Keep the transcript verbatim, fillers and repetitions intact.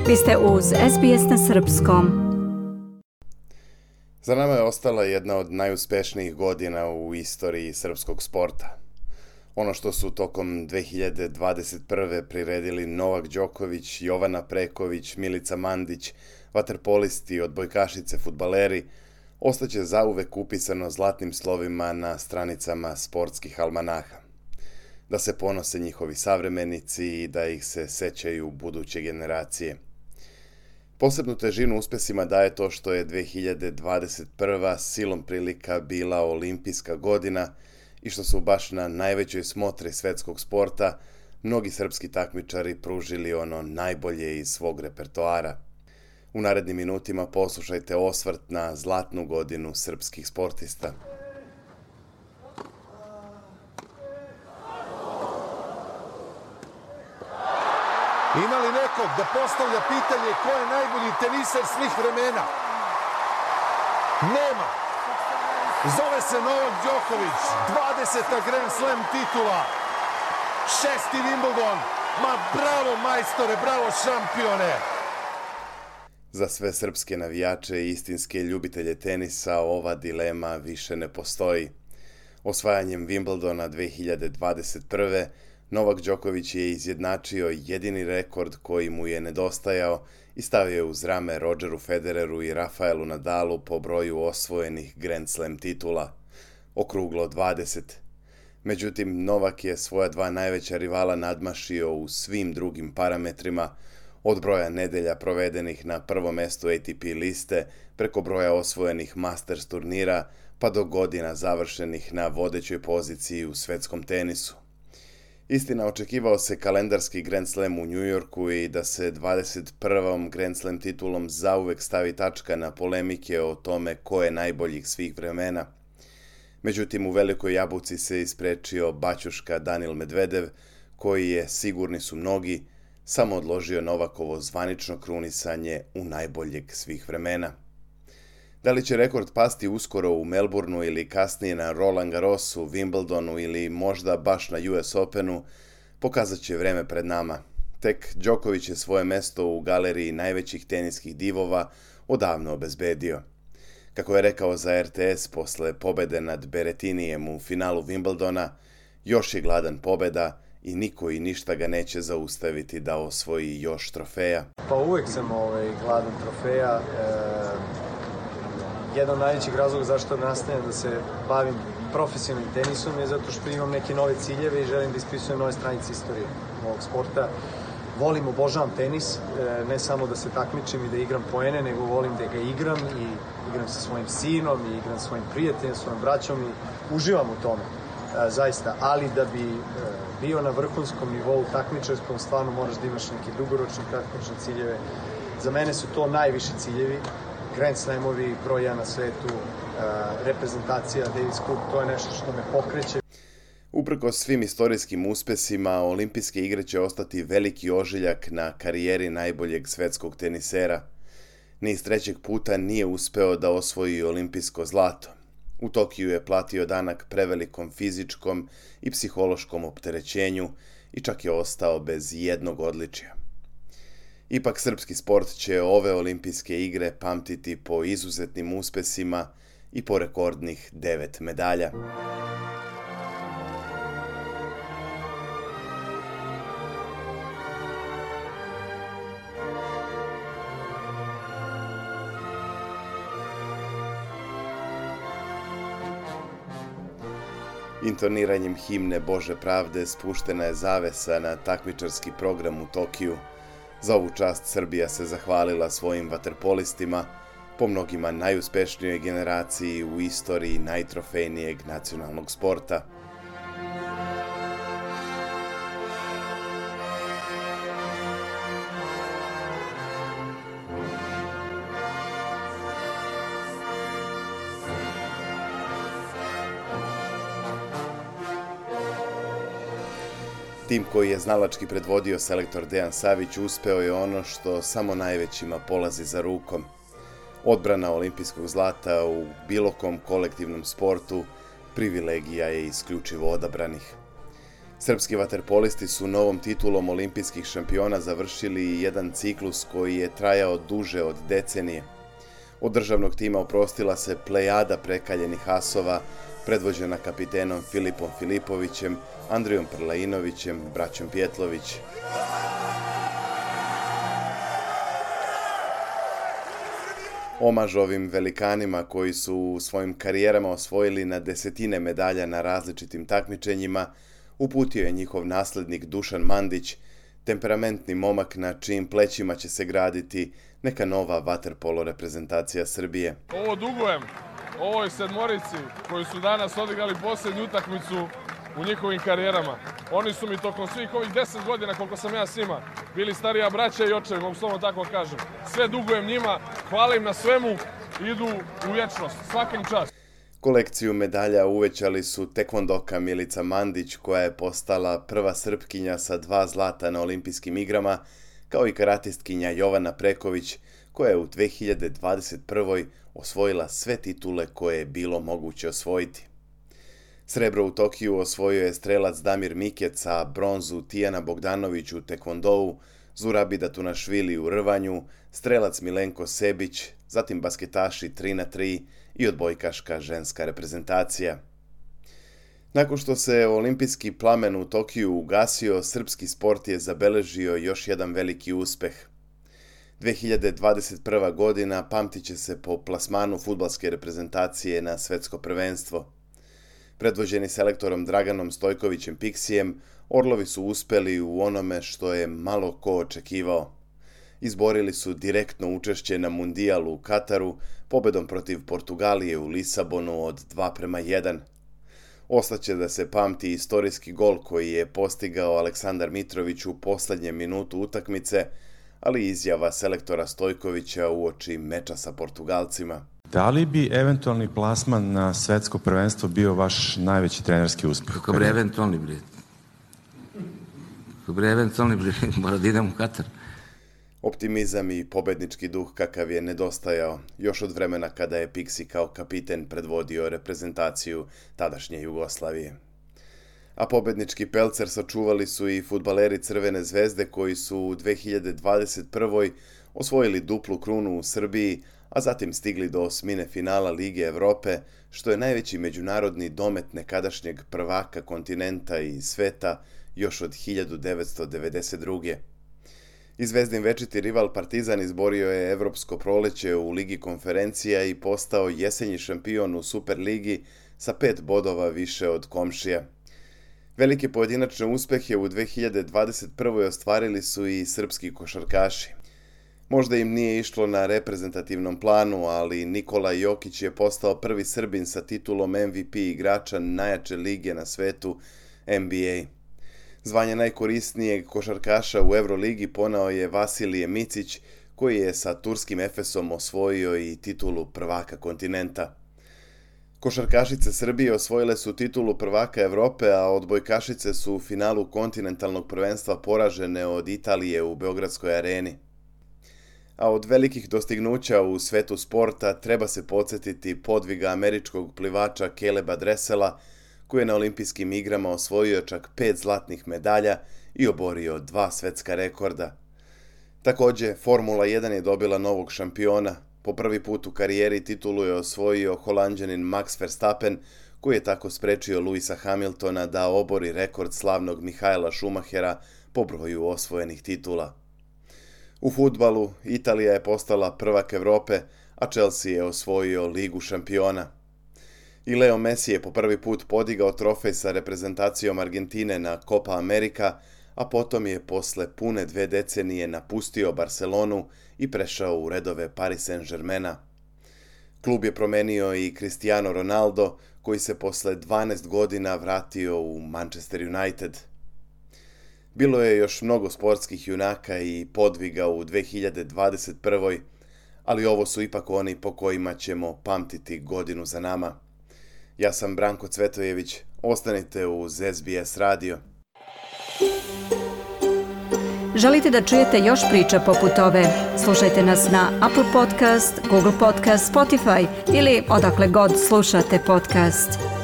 Vi ste uz S B S na srpskom. Za nama je ostala jedna od najuspješnijih godina u istoriji srpskog sporta. Ono što su tokom dve hiljade dvadeset prve priredili Novak Đoković, Jovana Preković, Milica Mandić, vaterpolisti, odbojkašice, fudbaleri, ostaće zauvek upisano zlatnim slovima na stranicama sportskih almanaha. Da se ponose njihovi savremenici i da ih se sećaju buduće generacije. Posebnu težinu uspesima daje to što je dve hiljade dvadeset prva silom prilika bila olimpijska godina i što su baš na najvećoj smotri svetskog sporta mnogi srpski takmičari pružili ono najbolje iz svog repertoara. U narednim minutima poslušajte osvrt na zlatnu godinu srpskih sportista. Ima li nekog da postavlja pitanje ko je najbolji teniser svih vremena? Nema. Zove se Novak Đoković, dvadeseta Grand Slam titula, šesti Wimbledon. Ma bravo majstore, bravo šampione! Za sve srpske navijače i istinske ljubitelje tenisa ova dilema više ne postoji. Osvajanjem Wimbledona dve hiljade dvadeset prve Novak Đoković je izjednačio jedini rekord koji mu je nedostajao i stavio je uz rame Rodgeru Federeru i Rafaelu Nadalu po broju osvojenih Grand Slam titula, okruglo dvadeset. Međutim, Novak je svoja dva najveća rivala nadmašio u svim drugim parametrima, od broja nedelja provedenih na prvom mestu A T P liste, preko broja osvojenih Masters turnira, pa do godina završenih na vodećoj poziciji u svetskom tenisu. Istina, očekivao se kalendarski Grand Slam u Njujorku i da se dvadeset prvom Grand Slam titulom zauvek stavi tačka na polemike o tome ko je najboljih svih vremena. Međutim, u Velikoj Jabuci se isprečio baćuška Danil Medvedev, koji je, sigurni su mnogi, samo odložio Novakovo zvanično krunisanje u najboljeg svih vremena. Da li će rekord pasti uskoro u Melbourneu ili kasnije na Roland Garrosu, Wimbledonu ili možda baš na U S Openu, pokazat će vreme pred nama. Tek Đoković je svoje mesto u galeriji najvećih teniskih divova odavno obezbedio. Kako je rekao za R T S posle pobede nad Berettinijem u finalu Wimbledona, još je gladan pobeda i niko i ništa ga neće zaustaviti da osvoji još trofeja. Pa uvek sam ovaj, gladan trofeja. E... Jedan od najvećih razloga zašto nastavljam da se bavim profesionalnim tenisom je zato što imam neke nove ciljeve i želim da ispisujem nove stranice istorije ovog sporta. Volim, obožavam tenis, ne samo da se takmičim i da igram poene, nego volim da ga igram i igram sa svojim sinom i igram sa svojim prijateljem, svojim braćom i uživam u tome, zaista. Ali da bi bio na vrhunskom nivou takmičarskom, stvarno moraš da imaš neke dugoročne, kratkoročne ciljeve. Za mene su to najviši ciljevi. Grand Slamovi, broj jedan na svetu, reprezentacija, Davis Cup, to je nešto što me pokreće. Uprkos svim istorijskim uspesima, olimpijske igre će ostati veliki ožiljak na karijeri najboljeg svetskog tenisera. Niz trećeg puta nije uspeo da osvoji olimpijsko zlato. U Tokiju je platio danak prevelikom fizičkom i psihološkom opterećenju i čak je ostao bez jednog odličja. Ipak srpski sport će ove olimpijske igre pamtiti po izuzetnim uspesima i po rekordnih devet medalja. Intoniranjem himne Bože pravde spuštena je zavesa na takmičarski program u Tokiju. Za ovu čast Srbija se zahvalila svojim vaterpolistima, po mnogima najuspešnijoj generaciji u istoriji najtrofejnijeg nacionalnog sporta. Tim koji je znalački predvodio selektor Dejan Savić uspeo je ono što samo najvećima polazi za rukom. Odbrana olimpijskog zlata u bilo kom kolektivnom sportu privilegija je isključivo odabranih. Srpski vaterpolisti su novom titulom olimpijskih šampiona završili jedan ciklus koji je trajao duže od decenije. Od državnog tima oprostila se plejada prekaljenih asova, predvođena kapitenom Filipom Filipovićem, Andrijom Prlainovićem, braćom Pjetlović. Omaž ovim velikanima koji su u svojim karijerama osvojili na desetine medalja na različitim takmičenjima, uputio je njihov naslednik Dušan Mandić, temperamentni momak na čijim plećima će se graditi neka nova vaterpolo reprezentacija Srbije. Ovo dugujem ovoj sedmorici koji su danas odigrali posljednju utakmicu u njihovim karijerama. Oni su mi tokom svih ovih deset godina koliko sam ja s njima bili starija braća i očevi, mogu slovno tako kažem. Sve dugujem njima, hvala im na svemu, idu u vječnost, svakim čast. Kolekciju medalja uvećali su tekvondoka Milica Mandić, koja je postala prva Srpkinja sa dva zlata na olimpijskim igrama, kao i karatistkinja Jovana Preković, koja je u dve hiljade dvadeset prvoj osvojila sve titule koje je bilo moguće osvojiti. Srebro u Tokiju osvojio je strelac Damir Mikec, a bronzu Tijana Bogdanović u tekvondou, Zurabida Tunašvili u rvanju, strelac Milenko Sebić, zatim basketaši tri na tri i odbojkaška ženska reprezentacija. Nakon što se olimpijski plamen u Tokiju ugasio, srpski sport je zabeležio još jedan veliki uspeh. dve hiljade dvadeset prva godina pamtit će se po plasmanu fudbalske reprezentacije na svetsko prvenstvo. Predvođeni selektorom Draganom Stojkovićem Piksijem, Orlovi su uspeli u onome što je malo ko očekivao. Izborili su direktno učešće na mundijalu u Kataru, pobedom protiv Portugalije u Lisabonu od dva prema jedan. Ostaće da se pamti istorijski gol koji je postigao Aleksandar Mitrović u poslednjem minutu utakmice, ali i izjava selektora Stojkovića uoči meča sa Portugalcima. Da li bi eventualni plasman na svetsko prvenstvo bio vaš najveći trenerski uspeh? Kako bre eventualni bre? Kako bre eventualni bre? Mora da idem u Katar. Optimizam i pobednički duh kakav je nedostajao još od vremena kada je Piksi kao kapiten predvodio reprezentaciju tadašnje Jugoslavije. A pobednički pelcer sačuvali su i fudbaleri Crvene zvezde koji su u dve hiljade dvadeset prvoj osvojili duplu krunu u Srbiji, a zatim stigli do osmine finala Lige Evrope, što je najveći međunarodni domet nekadašnjeg prvaka kontinenta i sveta još od hiljadu devetsto devedeset druge. I Zvezdin večiti rival Partizan izborio je evropsko proleće u Ligi konferencija i postao jesenji šampion u Superligi sa pet bodova više od komšija. Velike pojedinačne uspehe u dve hiljade dvadeset prvoj ostvarili su i srpski košarkaši. Možda im nije išlo na reprezentativnom planu, ali Nikola Jokić je postao prvi Srbin sa titulom M V P igrača najjače lige na svetu N B A. Zvanje najkorisnijeg košarkaša u Euroligi poneo je Vasilije Micić, koji je sa turskim Efesom osvojio i titulu prvaka kontinenta. Košarkašice Srbije osvojile su titulu prvaka Evrope, a odbojkašice su u finalu kontinentalnog prvenstva poražene od Italije u Beogradskoj areni. A od velikih dostignuća u svetu sporta treba se podsjetiti podviga američkog plivača Caleba Dressela, koji je na olimpijskim igrama osvojio čak pet zlatnih medalja i oborio dva svetska rekorda. Također, Formula jedan je dobila novog šampiona. Po prvi put u karijeri titulu je osvojio Holanđanin Max Verstappen, koji je tako sprečio Lewisa Hamiltona da obori rekord slavnog Mihaela Schumachera po broju osvojenih titula. U fudbalu Italija je postala prvak Evrope, a Chelsea je osvojio Ligu šampiona. I Leo Messi je po prvi put podigao trofej sa reprezentacijom Argentine na Copa America, a potom je posle pune dve decenije napustio Barcelonu i prešao u redove Paris Saint-Germaina. Klub je promenio i Cristiano Ronaldo, koji se posle dvanaest godina vratio u Manchester United. Bilo je još mnogo sportskih junaka i podviga u dve hiljade dvadeset prvoj, ali ovo su ipak oni po kojima ćemo pamtiti godinu za nama. Ja sam Branko Cvetojević, ostanite uz S B S radio. Želite da čujete još priča poput ove? Slušajte nas na Apple Podcast, Google Podcast, Spotify ili odakle god slušate podcast.